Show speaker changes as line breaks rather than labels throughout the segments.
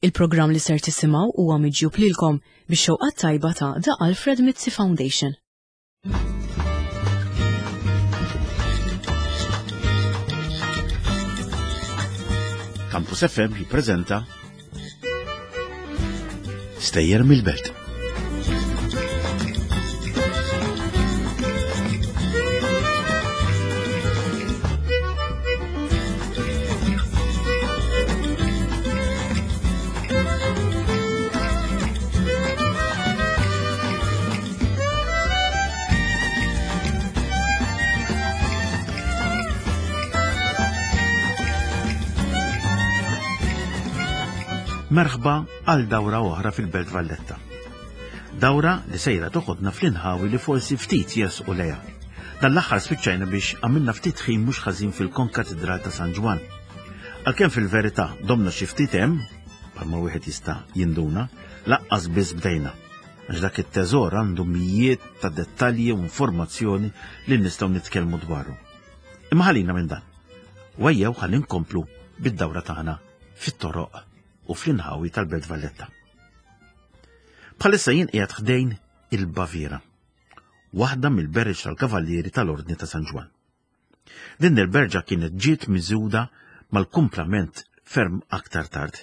Il-programm li ser tisimgħu huwa miġjub lilkom bix-xewqa tajba ta' The Alfred Mizzi Foundation.
Campus FM jippreżenta Stejjer mill-Belt. Merħba għal dawra oħra fil-Belt Valletta. Dawra li sejra toħodna fl-inħawi li forsi ftit jersqu lejha. Dan l-aħħar spiċċajna biex għamilna ftit ħin mhux ħażin fil-Konkatidral ta' San Ġwann. Għalkemm fil-verità domna xi ftit hemm, bħalma wieħed jista' jinduna, laqqas biss bdejna. Għax dak it-teżor għandu mijiet ta' dettalji u informazzjoni li nistgħu nitkellmu dwaru. Imma ħalina minn dan. U ejjew ħalli nkomplu bid-dawra tagħna fit-toroq u fl-inħawi tal-Belt Valletta. Bħalissa jien qiegħed ħdejn il-Baviera, waħda mill-berriċ tal-Kavallieri tal-Ordni ta' San Ġwann. Din il-berġa kienet ġiet miżjuda mal-kumplament ferm aktar tard,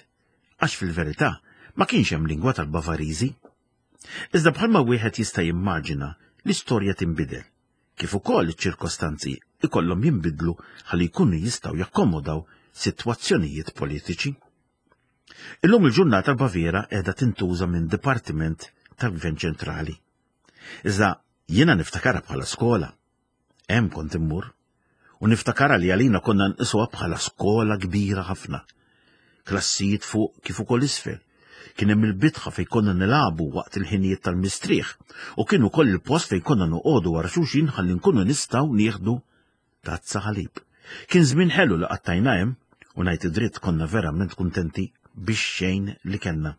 għax fil-verità ma kienx hemm lingwa tal-Bavariżi. Iżda bħalma wieħed jista' jimmaġina, l-istorja tinbidel, kif ukoll iċ-ċirkostanzi ikollhom jinbidlu ħalli jkunu jistgħu jakkomodaw sitwazzjonijiet politiċi. Illum il-ġurnata l-Baviera qiegħda tintuża minn dipartiment tal-Gvern Ċentrali. Iżda jiena niftakarha bħala skola. Hemm kont immur. U niftakarha li għalina konna nqisuha bħala skola kbira ħafna. Klassijiet fuq kif ukoll isfel. Kien hemm il-bitħa fejn konna nilagħbu waqt il-ħinijiet tal-mistrieħ u kien ukoll il-post fejn konna noqogħdu wara xulxin ħalli nkunu nistgħu nieħdu tazza ħalib. Kien żmien ħelu li qattajna hemm u ngħid id-dritt konna verament kuntenti bix-xejn li kellna.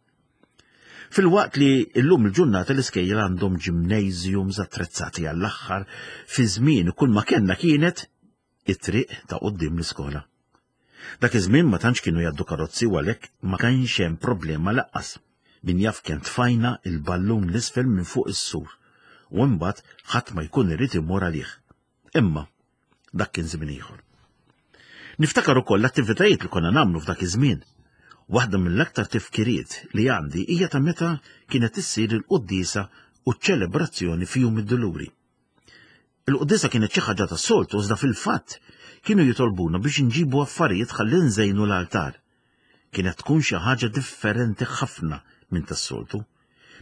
Filwaqt li llum il-ġurnata l-iskejjel għandhom gymnasiums attrezzati għall-aħħar, fi żmien kull ma kellna kienet it-triq ta' quddiem l-iskola. Dak iż-żmien ma tantx kienu jgħaddu karozzi u għalhekk ma kienx hemm problema laqqas. Min jaf kemm tfajna il-ballun l-isfel minn fuq is-sur u imbagħad ħadd ma jkun irid imur għalih. Imma dak kien żmien ieħor. Niftakar ukoll l-attivitajiet li konna nagħmlu f'dak iż-żmien. Waħda mill-aktar tifkiriet li għandi hija ta' meta kienet issir il-quddiesa u ċ-ċelebrazzjoni fi Jum id-Duluri. Il-quddiesa kienet xi ħaġa tas-soltu iżda fil-fatt kienu jitolbuna biex inġibu affarijiet ħalli nżejnu l-altar. Kienet tkun xi ħaġa differenti ħafna minn tas-soltu.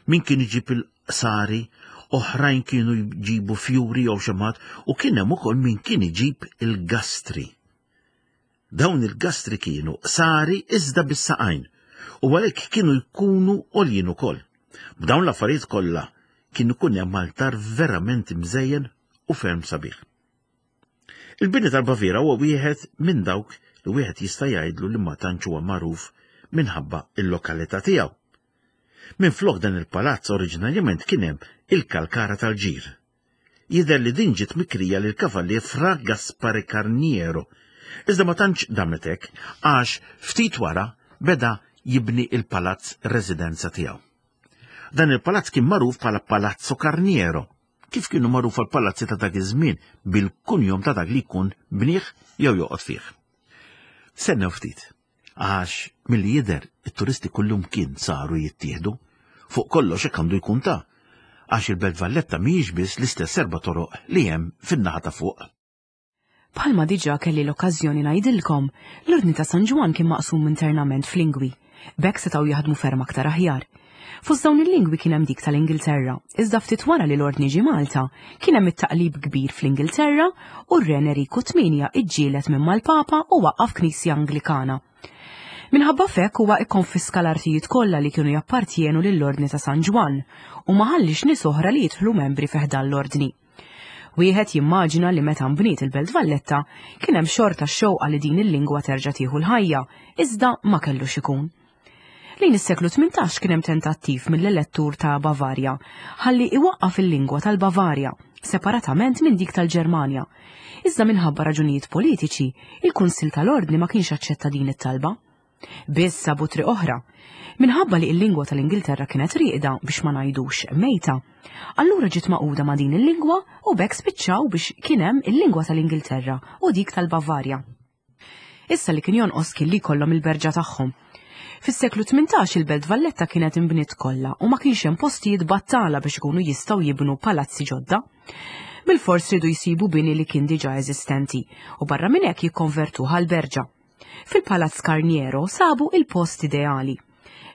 Min kien iġib il-qsari, oħrajn kienu jġibu fjuri jew xemgħat u kien hemm ukoll min kien iġib il-gastri. Dawn il-gastri kienu qsari iżda bis-saqajn u għalhekk kienu jkunu għoljin ukoll. B'dawn l-affarijiet kollha kien ikun hemm altar verament imżejjen u ferm sabiħ. Il-bini tal-Baviera huwa wieħed minn dawk li wieħed jista' jgħidlu li ma tantx huwa magħruf minħabba l-lokalità tiegħu. Minflok dan il-palazz oriġinarjament kien hemm il-kalkara tal-ġir. Jidher li din ġiet mikrija lil kavallier Fra Gaspare Carniero. Iżda ma tantx damet hekk għax ftit wara beda jibni il-palazz residenza tiegħu. Dan il-palazz kien magħruf bħala Palazzo Carniero, kif kienu magħrufa l-palazzi ta' dak iż-żmien bil-kunjom ta' dak li jkun bnieh jew joqgħod fih. Stennew ftit. Għax milli jidher it-turisti kullumkien saru jittieħdu. Fuq kollox hekk għandu jkun ta' għax il-Belt Valletta mhijiex biss l-istess erba' toroq li hemm fin-naħa ta' fuq.
Bħalma diġà kelli l-okkażjoni ngħidilkom, l-Ordni ta' San Ġwann kien maqsum internament f'lingwi. B'hekk setgħu jaħdmu ferm aktar aħjar. Fost dawn il-lingwi kien hemm dik tal-Ingilterra, iżda ftit wara li l-Ordni ġie Malta, kien hemm it-taqlib kbir fl-Ingilterra u r-Re Enriku Tmienja iġġieled minn mal-Papa u waqqaf Knisja Anglikana. Minħabba f'hekk huwa ikkonfiska l-artijiet kollha li kienu jappartjenu lill-Ordni ta' San Ġwann u ma ħalliex nies oħra li jidħlu membri fi ħdan l-Ordni. Wieħed jimmaġina li meta nbniet il-Belt Valletta kien hemm xorta x-xewqa li din il-lingwa terġa' tieħu l-ħajja, iżda ma kellux ikun. Lejn is-seklu 18 kien hemm tentattiv mill-elettur ta' Bavarja ħalli iwaqqaf il-lingwa tal-Bavarja separatament minn dik tal-Ġermanja. Iżda minħabba raġunijiet politiċi, il-Kunsill tal-Ordni ma kienx aċċetta din it-talba. Biss sabu triq oħra. Minħabba li l-lingwa tal-Ingilterra kienet rieqda biex ma ngħidux mejta, allura ġiet magħquda ma' din il-lingwa u b'hekk spiċċaw biex kien hemm il-lingwa tal-Ingilterra u dik tal-Bavarja. Issa li kien jonqos kien li jkollhom il-berġa tagħhom. Fis-seklu 18 il-Belt Valletta kienet inbniet kollha u ma kienx hemm postijiet battala biex ikunu jistgħu jibnu palazzi ġodda. Bilfors riedu jsibu bini li kien diġà eżistenti u barra minn hekk jikkonvertuh għal berġa. Fil-Palazz Carniero sabu il-post ideali.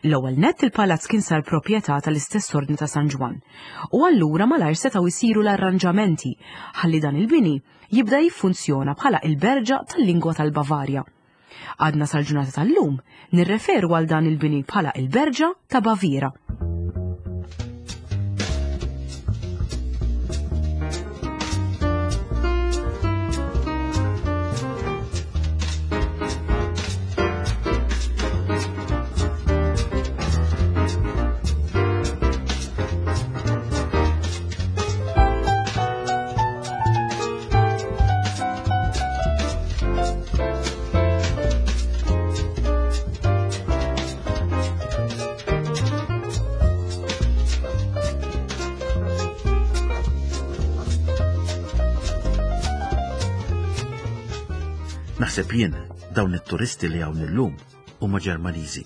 L-ewwel nett il-palazz kien sar proprjetà tal-istess Ordni ta' San Ġwann u allura malajr setgħu jsiru l-arranġamenti ħalli dan il-bini jibda jiffunzjona bħala il-berġa tal-lingwa tal-Bavarja. Għadna sal-ġurnata tal-lum nirreferu għal dan il-bini bħala il-Berġa ta' Baviera.
Naħseb jien dawn it-turisti li hawn illum huma Ġermaniżi.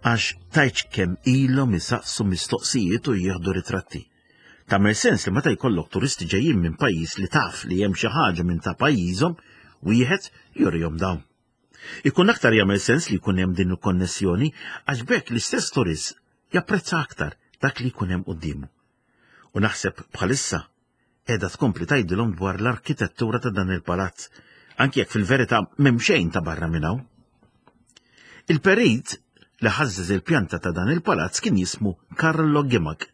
Għax tajċ kemm ilhom isaqsu mistoqsijiet u jieħdu ritratti. Tagħmel sens li meta jkollok turisti ġejjin minn pajjiż li taf li hemm xi ħaġa minn ta' pajjiżhom, wieħed jurihom dawn. Ikun aktar jagħmel sens li jkun hemm din il-konnessjoni għax b'hekk l-istess turist japprezza aktar dak li jkun hemm quddiemu. U naħseb bħalissa qiegħda tkompli tgħidilhom dwar l-arkitettura ta' dan il-palazz, anki jekk fil-verità m'hemm xejn ta' barra minn hawn. Il-perit li ħażżeż il-pjanta ta' dan il-palazz kien jismu Carlo Gimag,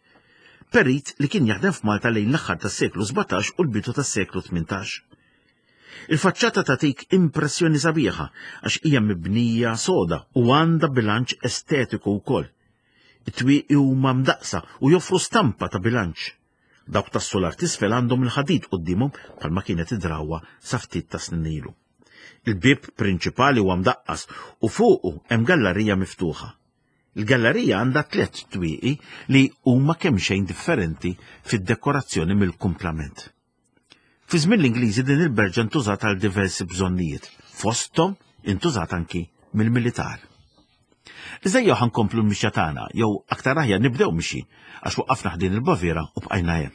perit li kien jaħdem f'Malta lejn l-aħħar tas-seklu 17 u l-bidu tas-seklu 18. Il-faċċata tagħtik impressjoni sabiħa għax hija mibnija soda u għandha bilanċ estetiku wkoll. It-twieqi huma mdaqqsa u joffru stampa ta' bilanċ. Dawk tas-sular t'isfel għandhom il-ħadid quddiemhom bħalma kienet id-drawwa sa ftit ta' snin ilu. Il-bieb prinċipali huwa mdaqqas u fuqu hemm gallarija miftuħa. Il-gallarija għandha tlett twieqi li huma kemxejn differenti fid-dekorazzjoni mill-kumplament. Fi żmien l-Ingliżi din il-berġa ntużat għal diversi bżonnijiet, fosthom intużat anki mill-militar. Iżda jew ħankomplu l-mixja tagħna, jew aktar aħjar nibdew mixi, għax waqafna ħdin il-Baviera u bqajna hemm.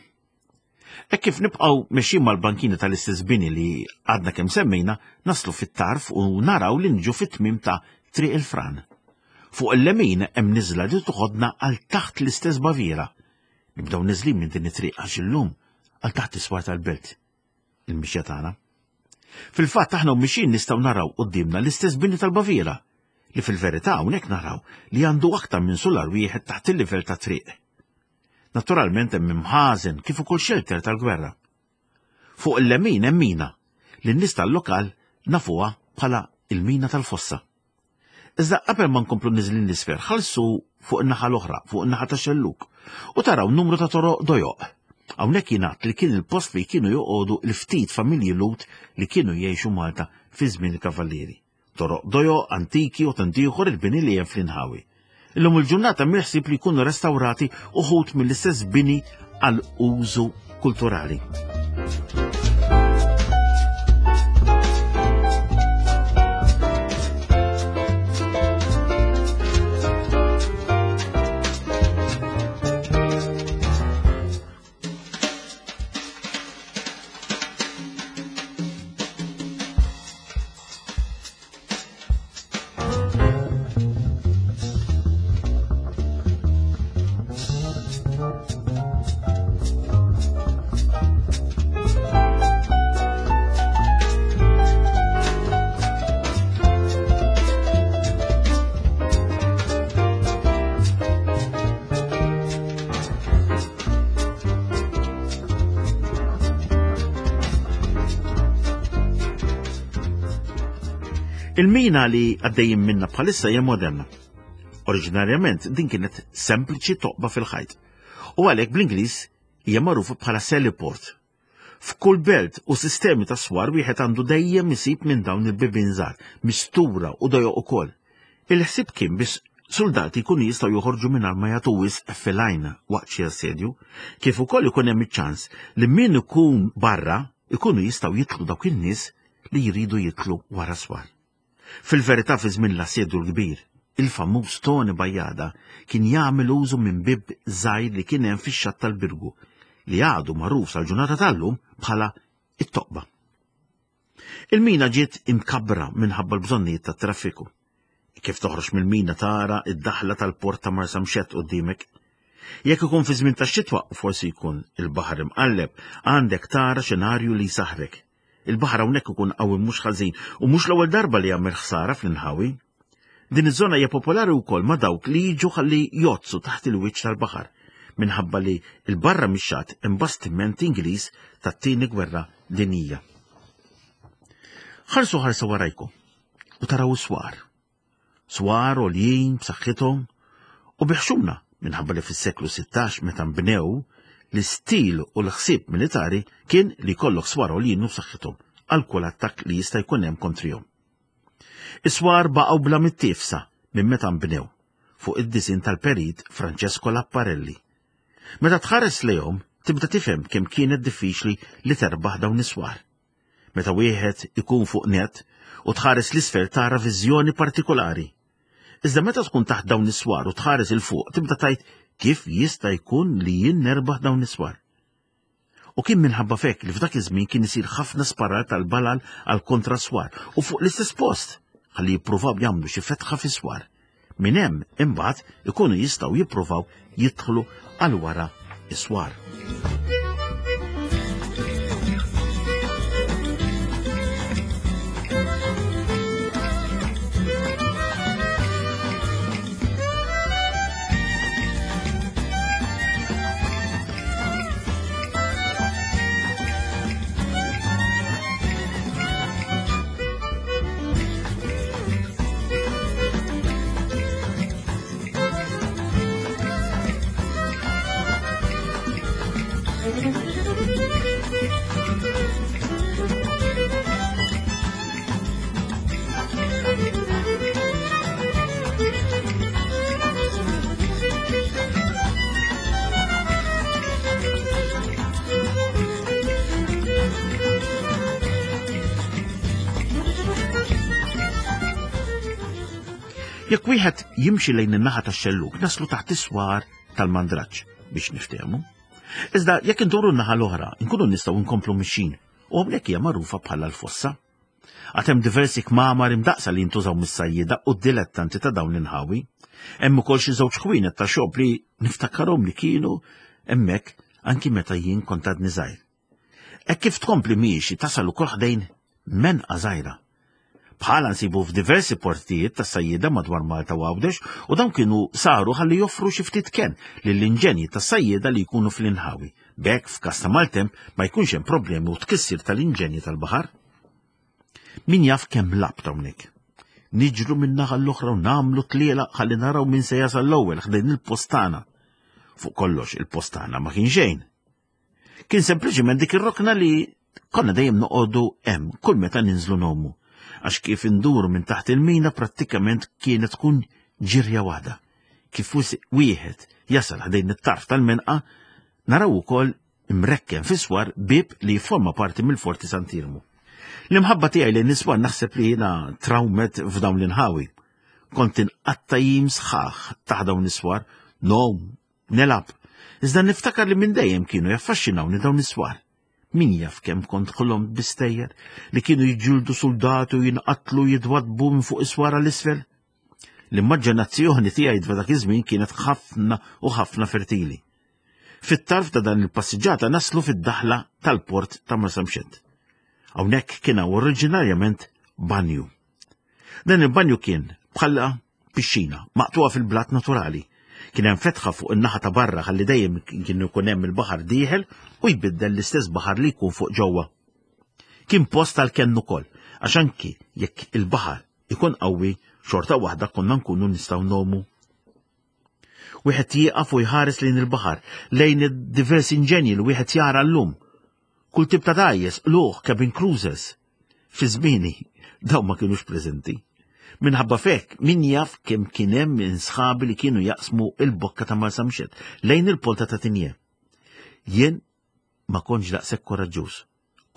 Hekk kif nibqgħu mexjin mal-bankina tal-istess bini li għadna kemm semmejna, naslu fit-tarf u naraw li nġu fit-tmiem ta' Triq il-Fran. Fuq il-lemin hemm niżla li toħodna għal taħt l-istess Baviera. Nibdew niżlin minn din it-triq għax illum għal taħt is-swar tal-belt il-mixja tagħna. Fil-fatt aħna u mixjin nistgħu naraw quddiemna l-istess bini tal-Baviera li fil-verità hawnhekk naraw li għandu aktar minn sular wieħed taħt il-livell ta' triq. Naturalment hemm imħażen kif ukoll xelter tal-gwerra. Fuq il-lemin hemm mina li n-nies tal-lokal nafuha bħala il-mina tal-fossa. Iżda qabel ma nkomplu niżlin l-isfel, ħallsu fuq in-naħa l-oħra, fuq in-naħa ta' xelluk, u taraw numru ta' toroq dojoq. Hawnhekk jingħad li kien il-post fejn kienu joqogħdu l-ftit familji Lhud li kienu jgħixu Malta fi żmien il-Kavallieri. Toroq dojoq, antiki u tant ieħor il-bini li hemm fl-inħawi. Illum il-ġurnata mill-ħsieb li jkunu restawrati uħud mill-istess bini għal użu kulturali. Il-mina li għaddejjin minna bħalissa hija moderna. Oriġinarjament din kienet sempliċi toqba fil-ħajt. U għalhekk bl-Ingliż hija magħrufa bħala Sallyport. F'kull belt u sistemi ta' swar wieħed għandu dejjem isib minn dawn il-bibien żgħar, mistura u dojoq ukoll. Il-ħsieb kien biex suldati jkunu jistgħu joħorġu mingħajr ma jagħtu wisq fil-għajn waqt xi assedju, kif ukoll ikun hemm iċ-ċans li min ikun barra ikunu jistgħu jidħlu dawk in-nies li jridu jidħlu wara swar. Fil-verità fi żmien l-assedju l-kbir, il-famuż Tony Bajada kien jagħmel użu minn bieb żgħir li kien hemm fix-xatt tal-Birgu li għadu magħruf sal-ġurnata tal-lum bħala it-toqba. Il-mina ġiet imkabbra minħabba l-bżonnijiet tat-traffiku. Kif toħroġ mill-mina tara id-daħla tal-port ta' Marsamxett quddiemek. Jekk ikun fi żmien tax-xitwa u forsi jkun il-baħar imqalleb, għandek tara xenarju li jsaħħrek. Il-baħar hawnhekk ikun qawwi mhux ħażin u mhux l-ewwel darba li jagħmel ħsara fl-inħawi. Din iż-żona hija popolari wkoll ma' dawk li jiġu ħalli jgħoddsu taħt il-wiċċ tal-baħar minħabba li l barra mix-xatt hemm bastiment Ingliż tat-Tieni Gwerra Dinjija. Ħarsu ħarsa warajkom u taraw is-swar. Swar għoljin b'saħħithom u biħxuna minħabba li fis-seklu 16 meta nbnew l-istil u l-ħsieb militari kien li jkollok swar għoljin u b'saħħithom għal kull attakk li jista' jkun hemm kontrihom. Is-swar baqgħu bla mittiefsa minn meta nbnew fuq id-disin tal-perit Francesco Lapparelli. Meta tħares lejhom tibda tifhem kemm kienet diffiċli li terbaħ dawn is-swar. Meta wieħed ikun fuq net u tħares l-isfel tara viżjoni partikolari. Iżda meta tkun taħt dawn is-swar u tħares il fuq tibda tgħid kif jista' jkun li jien nerbaħ dawn is-swar. U kien minħabba fek li f'dak iż-żmien kien isir ħafna sparar tal-balal għal kontra swar u fuq l-istess post ħalli jippruvaw jagħmlu xi fetħa fis-swar. Minn hemm imbagħad ikunu jistgħu jippruvaw jidħlu għal wara is-swar. Jekk wieħed jimxi lejn in-naħa tax-xellug naslu taħt is-swar tal-mandraġġ biex niftehmu. Iżda jekk induru n-naħa l-oħra, nkunu nistgħu nkomplu mixin u hawnhekk hija magħrufa bħala l-fossa. Għad hemm diversi kmamar imdaqqsa li jintużaw mis-sajjieda u d-dilettanti ta' dawn l-inħawi. Hemm ukoll xi żewġ ħwienet ta' xob li niftakarhom li kienu hemmhekk anki meta jien kont għadni żgħir. Hekk kif tkompli miexi tasal ukoll ħdejn menqa żgħira. Bħala nsibu f'diversi portijiet ta' sajjieda madwar Malta u Għawdex u dawn kienu saru ħalli joffru xi ftit kenn lill-inġenji tas-sajjieda li jkunu fl-inħawi. B'hekk f'każ ta' maltemp ma jkunx hemm problemi u tkissir tal-inġenji tal-baħar. Min jaf kemm labt hawnhekk. Niġru minn naħa l-oħra u nagħmlu tliela ħalli naraw min se jasal l-ewwel ħdejn il-postana. Fuq kollox il-postana ma kien xejn. Kien sempliċiment dik ir-rokna li konna dejjem noqogħdu hemm kull meta ninżlu nomu. Għax kif induru minn taħt il-mina prattikament kienet tkun ġirja waħda. Kif wieħed jasal ħdejn it-tarf tal-menqa, naraw ukoll imrekken fis-swar bieb li jifforma parti mill-Forti Sant'Iermu. L-imħabba tiegħi lejn is-swar naħseb li jiena trawmet f'dawn l-inħawi. Kont inqatta' jiem sħaħ taħt dawn is-swar, nom, nelab. Iżda niftakar li minn dejjem kienu jaffaxxinawni dawn is-swar. Min jaf kemm kont ħlomt bi stejjer li kienu jiġġieldu suldati u jinqatlu jitwaddbu minn fuq is-swar għal isfel. L-immaġinazzjoni tiegħi dak iż-żmien kienet ħafna u ħafna fertili. Fit-tarf ta' dan il-passiġġata naslu fid-daħla tal-port ta' Marsamxett. Hawnhekk kien hawn oriġinarjament banju. Dan il-banju kien bħala pixxina maqtuha fil-blat naturali. Kien hemm fetħa fuq in-naħa ta' barra ħalli dejjem kien ikun hemm il-baħar dieħel u jbiddel l-istess baħar li jkun fuq ġewwa. Kien post tal-kenn ukoll, għax anki jekk il-baħar ikun qawwi, xorta waħda konna nkunu nistgħu nomu. Wieħed jieqaf u jħares lejn il-baħar, lejn id-diversi inġenji li wieħed jara llum. Kull tip ta' dgħajjes, qlugħ, cabin cruisers. Fi żmieni, dawn ma kinux preżenti. Minħabba fek, min jaf kemm kien hemm minn sħabi li kienu jaqsmu il-bokka ta' Marsamxett lejn il-polta ta' Tinje. Jien ma kontx daqshekk koraġġuż.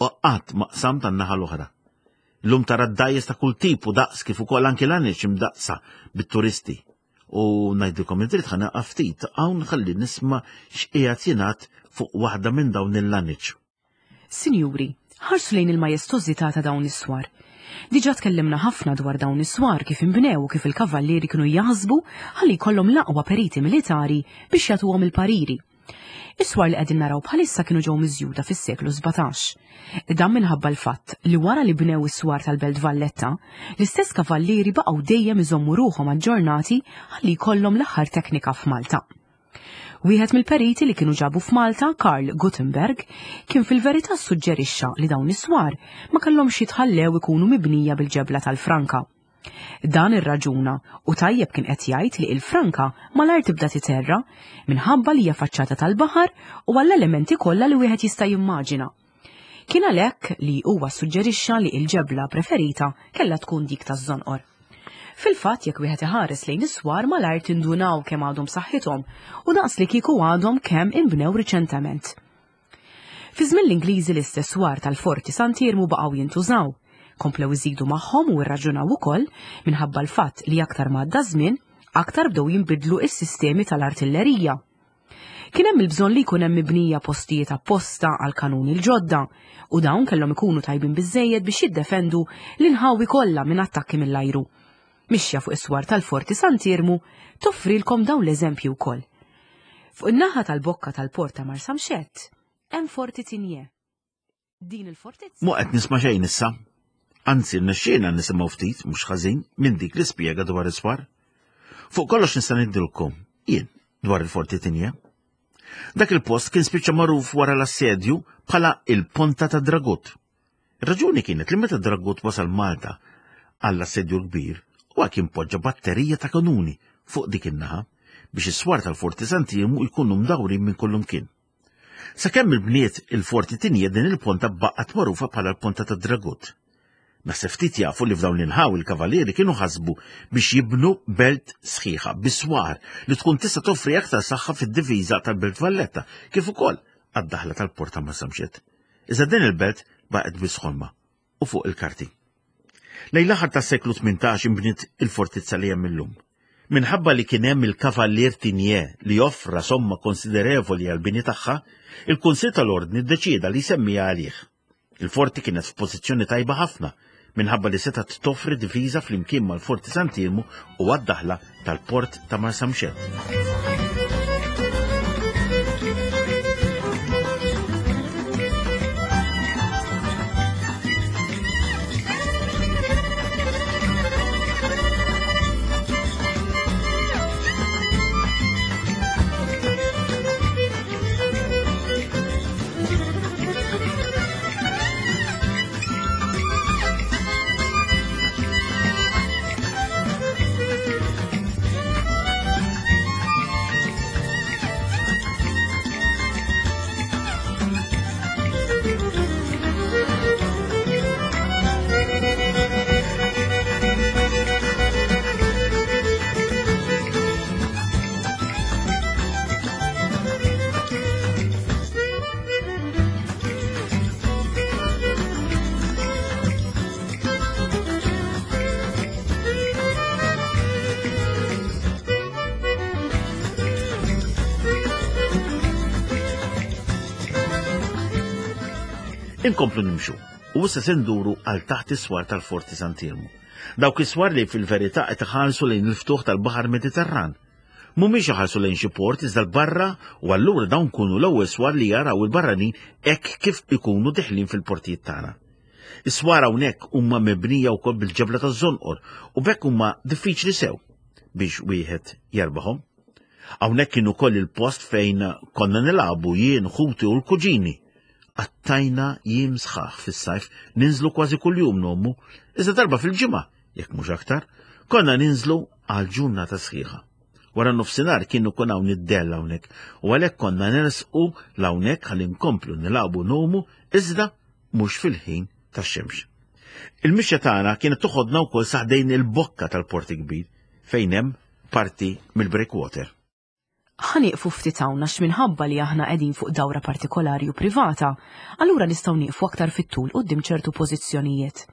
U qatt ma qsamt tan-naħa l-oħra. Illum tara d-dajjes ta' kull tip u daqs kif ukoll anki l-għanex imdaqqsa bit-turisti. U ngħidilkom id-dritt ħa naqaf ftit hawn ħalli nisma' x'qiegħed jingħad fuq waħda minn dawn il-laneċ.
Sinjuri, ħarsu lejn il-majestożità ta' dawn is-swar. Diġà tkellimna ħafna dwar dawn is-swar kif inbnew u kif il-kavallieri kienu jaħsbu ħalli jkollhom l-aqwa periti militari biex jagħtuhom il-pariri. Is-swar li qegħdin naraw bħalissa kienu ġew miżjuda fis-seklu 17. Dan minħabba l-fatt li wara li bnew is-swar tal-Belt Valletta, l-istess kavallieri baqgħu dejjem iżommu ruħhom aġġornati ħalli jkollhom l-aħħar teknika f'Malta. Wieħed mill-periti li kienu ġabu f'Malta, Karl Gutenberg, kien fil-verità ssuġġerixxa li dawn is-swar ma kellhomx jitħallew ikunu mibnija bil-ġebla tal-franka. Dan irraġuna u tajjeb kien qed jgħid li il-franka malajr tibda titerra minħabba li hija faċċata tal-baħar u għall-elementi kollha li wieħed jista' jimmaġina. Kien għalhekk li huwa ssuġġerixxa li l-ġebla preferita kellha tkun dik taż-żonqor. Fil-fatt jekk wieħed iħares lejn is-swar malajr tindunaw kemm għadhom b'saħħithom u daqs li kieku għadhom kemm inbnew riċentement. Fi żmien l-Ingliżi l-istess swar tal-Forti Sant'Iermu baqgħu jintużaw. Komplew iżidu magħhom u rraġunaw ukoll minħabba l-fatt li aktar ma għadda żmien, aktar bdew jinbidlu s-sistemi tal-artillerija. Kien hemm il-bżonn li jkun hemm mibnija postijiet apposta għall-kanuni l-ġodda u dawn kellhom ikunu tajbin biżżejjed biex jiddefendu l-inħawi kollha minn attakki mill-ajru. Mixja fuq is-swar tal-Forti Sant'Iermu toffrilkom dawn l-eżempji wkoll. Fuq in-naħa tal-bokka tal-port ta' Marsamxett hemm Forti Tinje. Din il-fortizza.
Mu qed nisma' xejn issa. Anzi, rnexxielna nisimgħu ftit, mhux ħażin, minn dik li spjega dwar is-swar. Fuq kollox nista' ngħidilkom, jien, dwar il-Forti Tinje. Dak il-post kien spiċċa magħruf wara l-assedju bħala il-Ponta ta' Dragut. Ir-raġuni kienet li meta Dragut wasal Malta għall-assedju l-kbir, huwa kien poġġa batterija ta' kanuni fuq dik in-naħa biex is-swar tal-Forti Sant'Iermu jkunu mdawrin minn kullumkien. Sakemm il-bniet il-Forti Tinje din il-ponta baqgħet magħrufa bħala l-Ponta tad-Dragut. Naħseb ftit jafu li f'dawn l-inħawi l-Kavalieri kienu ħasbu biex jibnu belt sħiħa bi swar li tkun tista' toffri aktar saħħa fid-difiża tal-Belt Valletta kif ukoll għad-daħla tal-Port ta' Marsamxett. Iżda din il-belt baqgħet biss ħolma u fuq il-karti. Lejn l-aħħar tas-seklu 18 inbniet il-fortizza li hemm illum. Minħabba li kien hemm il-Kavallier Tigné li offra somma konsiderevoli għall-bini tagħha, il-Kunsill tal-Ordni ddeċieda li jsemmiha għalih. Il-forti kienet f'pożizzjoni tajba ħafna minħabba li setgħet toffri difiża flimkien mal-Forti Sant'Iermu u għad-daħla tal-port ta' Marsamxett. Inkomplu nimxu u issa se nduru għal taħt is-swar tal-Forti Sant'Iermu. Dawk is-swar li fil-verità qed iħarsu lejn il-ftuħ tal-Baħar Mediterran. Mhumiex iħarsu lejn xi port iżda l-barra u allura dawn kunu l-ewwel swar li jaraw il-barranin hekk kif ikunu deħlin fil-portijiet tagħna. Is-swar hawnhekk huma mibnija wkoll bil-ġebla taż-żonqor u b'hekk huma diffiċli sew biex wieħed jerbaħhom. Hawnhekk kien ukoll il-post fejn konna nilagħbu jien, ħuti u l-kuġini. Qattajna jiem sħaħ fis-sajf ninżlu kważi kuljum nommu, iżda darba fil-ġimgħa, jekk mhux aktar, konna ninżlu għal ġurnata sħiħa. Wara nofsinhar kien ikun hawn id-dell hawnhekk u għalhekk konna nersqu l hawnhekk ħalli nkomplu nilagħbu nomu iżda mhux fil-ħin tax-xemx. Il-mixja tagħna kienet toħodna wkoll sa ħdejn il-bokka tal-Port il-Kbir fejn hemm parti mill-breakwater.
Ħa nieqfu ftit hawn għax minħabba li aħna qegħdin fuq dawra partikolari u privata, allura nistgħu nieqfu aktar fit-tul quddiem ċertu pożizzjonijiet.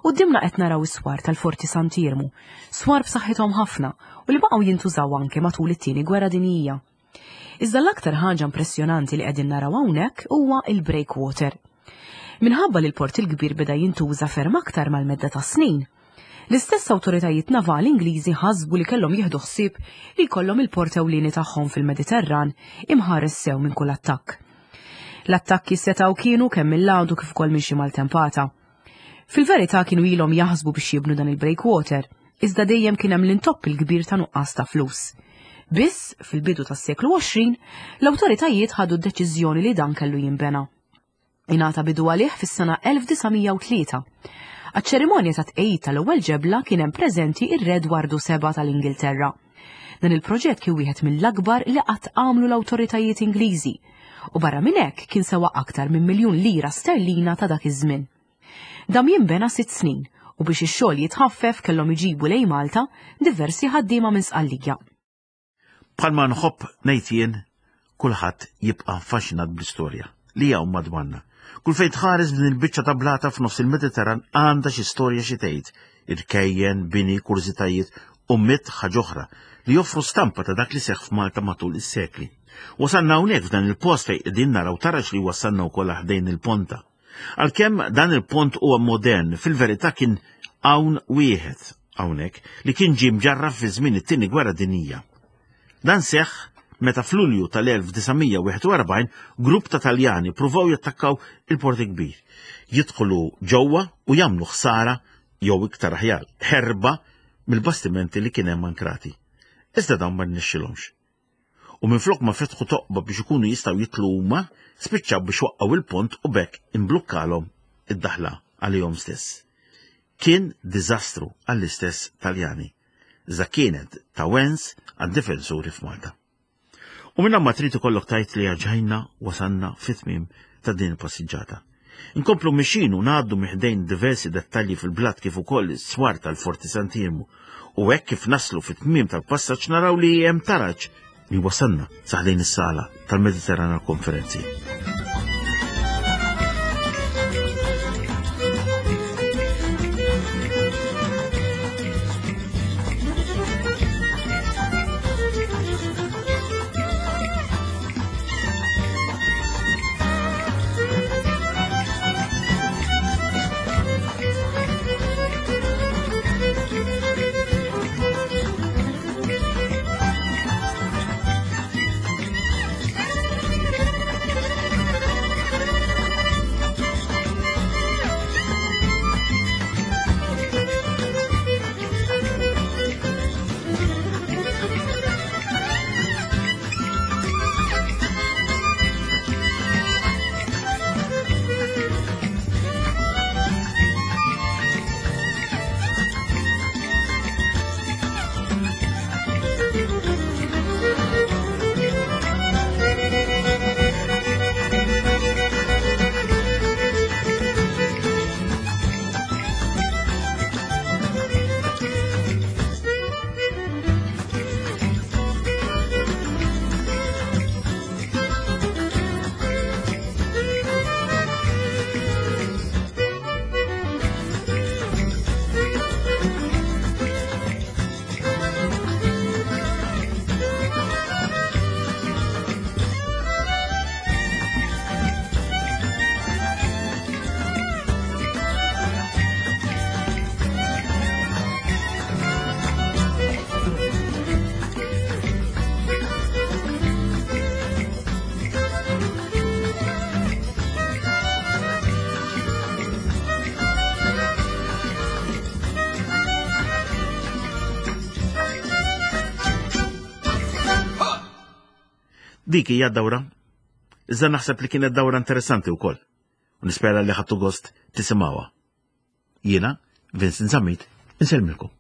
Quddiemna qed naraw is-swar tal-Forti Sant'Iermu, swar b'saħħithom ħafna u li baqgħu jintużaw anke matul it-Tieni Gwerra Dinjija. Iżda l-aktar ħaġa impressjonanti li qegħdin naraw hawnhekk huwa il-breakwater. Minħabba li l-Port il-Kbir beda jintuża ferm aktar mal-medda tas-snin, l-istess awtoritajiet navali Ingliżi ħasbu li kellhom jieħdu ħsieb li jkollhom il-port ewlieni tagħhom fil-Mediterran imħares sew minn kull attakk. L-attakki setgħu kienu kemm mill-għadu kif ukoll minn xi maltempata. Fil-verità kienu ilhom jaħsbu biex jibnu dan il-breakwater, iżda dejjem kien hemm l-intopp il-kbir ta' nuqqas ta' flus. Biss, fil-bidu tas-seklu 20, l-awtoritajiet ħadu d-deċiżjoni li dan kellu jinbena. Ingħata bidu għalih fis-sena 1903. Għaċ-ċerimonja ta' tqegħid tal-ewwel ġebla kien hemm preżenti ir-Re Dwardu Seba' tal-Ingilterra. Dan il-proġett kien wieħed mill-akbar li qatt għamlu l-awtoritajiet Ingliżi u barra minn hekk kien sewa aktar minn miljun lira sterlina ta' dak iż-żmien. Dam jinbena sitt snin u biex ix-xogħol jitħaffef kellhom iġibu lejn Malta diversi ħaddiema minn Sqallija.
Bħalma nħobb ngħid jien, kulħadd jibqa' affaxxinat bl-istorja li hawn madwarna. Kull fejn tħares din il-biċċa ta' blata f'nofs il-Mediterran għandha xi storja xi tgħid, irkejjen, bini, kurżitajiet u mitt ħaġa oħra li joffru stampa ta' dak li seħħ f'Malta matul is-sekli. Wasalna hawnhekk f'dan il-post fejn qegħdin naraw taraġ li wassalna wkoll ħdejn il-ponta. Għalkemm dan il-pont huwa modern, fil-verità kien hawn wieħed hawnhekk li kien ġie mġarraf fi żmien it-Tieni Gwerra Dinjija. Dan seħħ meta f'Lulju tal-1941 grupp ta' Taljani pruvaw jattakkaw il-Port il-Kbir, jidħlu ġewwa u jagħmlu ħsara jew iktar aħjar ħerba mill-bastimenti li kien hemm ankrati. Iżda dawn ma rnexxilhomx. U minflok ma fetħu toqba biex ikunu jistgħu jidħlu huma, spiċċaw biex waqqgħu il-pont u b'hekk imblukkalhom id-daħla għalihom stess. Kien diżastru għall-istess Taljani, iżda kienet ta' wens għad-difensuri f'Malta. U minn ma trid ikollok tgħid li erġajna wasalna fit-tmiem ta' din il-passiġġata. Inkomplu mixin u ngħaddu minn ħdejn diversi dettalji fil-blat kif ukoll is-swar tal-Forti Sant'Iermu u hekk kif naslu fit-tmiem tal-passaġġ naraw li hemm taraġ li wasalna sa ħdejn is-sala tal-Mediterran għall-Konferenzi. Dik hija d-dawra. Iżda naħseb li kienet dawra interessanti wkoll. U nispera li ħadtu gost tisimgħuha. Jiena, Vincent Zammit, insellmilkom.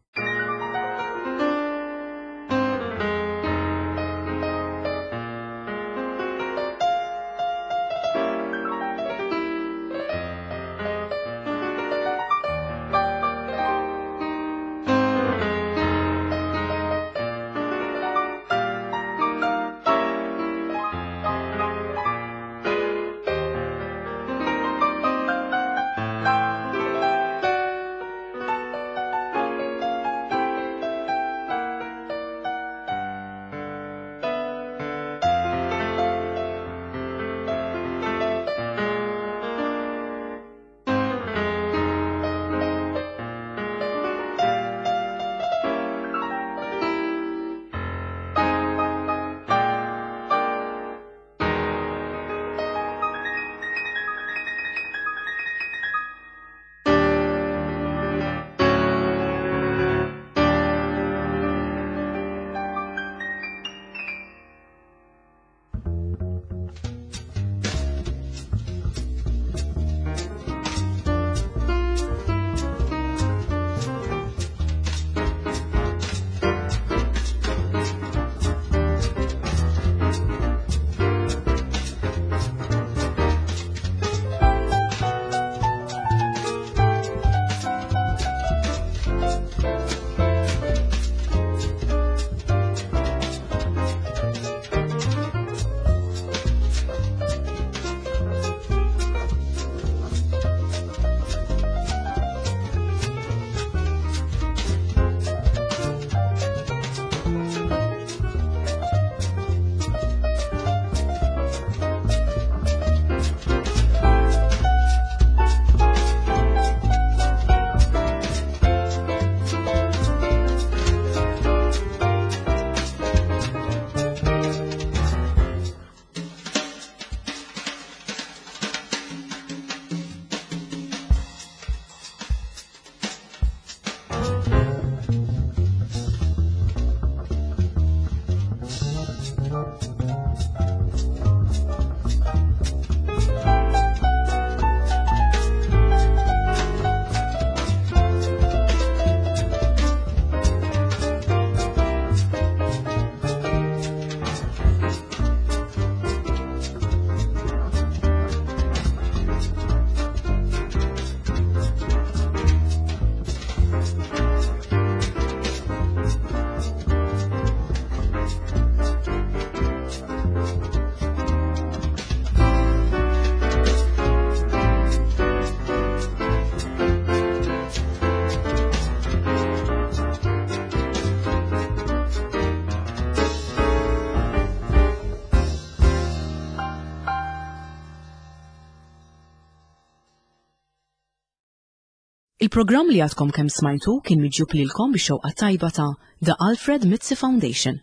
Il-programm li għadkom kemm smajtu kien miġjub lilkom bix-xewqa tajba ta' The Alfred Mizzi Foundation.